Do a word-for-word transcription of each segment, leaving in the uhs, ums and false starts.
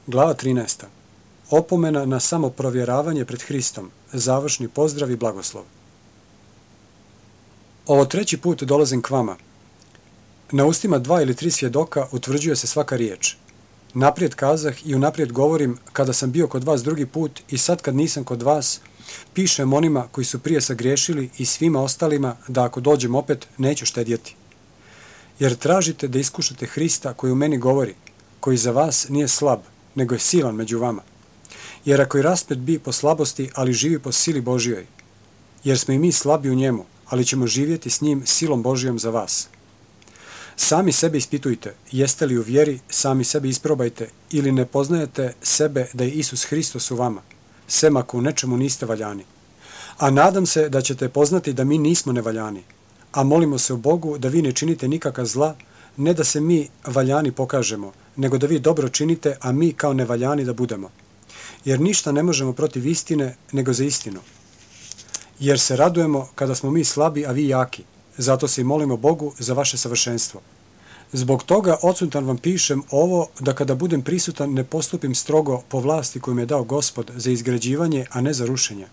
Glava trinaesta. Opomena na samoprovjeravanje pred Hristom. Završni pozdrav i blagoslov. Ovo treći put dolazim k vama. Na ustima dva ili tri svjedoka utvrđuje se svaka riječ. Naprijed kazah i unaprijed govorim kada sam bio kod vas drugi put i sad kad nisam kod vas, pišem onima koji su prije sagriješili i svima ostalima da ako dođem opet neću štedjeti. Jer tražite da iskušate Hrista koji u meni govori, koji za vas nije slab, nego je silan među vama. Jer ako i raspet bi po slabosti, ali živi po sili Božjoj. Jer smo i mi slabi u njemu, ali ćemo živjeti s njim silom Božjom za vas. Sami sebe ispitujte, jeste li u vjeri, sami sebe isprobajte, ili ne poznajete sebe da je Isus Hristos u vama, sem ako u nečemu niste valjani. A nadam se da ćete poznati da mi nismo nevaljani, a molimo se o Bogu da vi ne činite nikakva zla, ne da se mi valjani pokažemo, nego da vi dobro činite, a mi kao nevaljani da budemo. Jer ništa ne možemo protiv istine, nego za istinu. Jer se radujemo kada smo mi slabi, a vi jaki. Zato se i molimo Bogu za vaše savršenstvo. Zbog toga odsutan vam pišem ovo da kada budem prisutan ne postupim strogo po vlasti koju mi je dao Gospod za izgrađivanje, a ne za rušenje.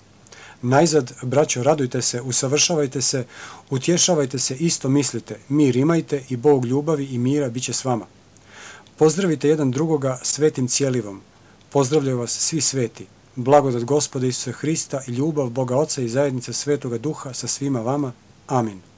Najzad, braćo, radujte se, usavršavajte se, utješavajte se, isto mislite, mir imajte i Bog ljubavi i mira bit će s vama. Pozdravite jedan drugoga svetim cijelivom. Pozdravljaju vas svi sveti. Blagodat Gospoda Isusa Hrista i ljubav Boga Oca i zajednica Svetoga Duha sa svima vama. Amin.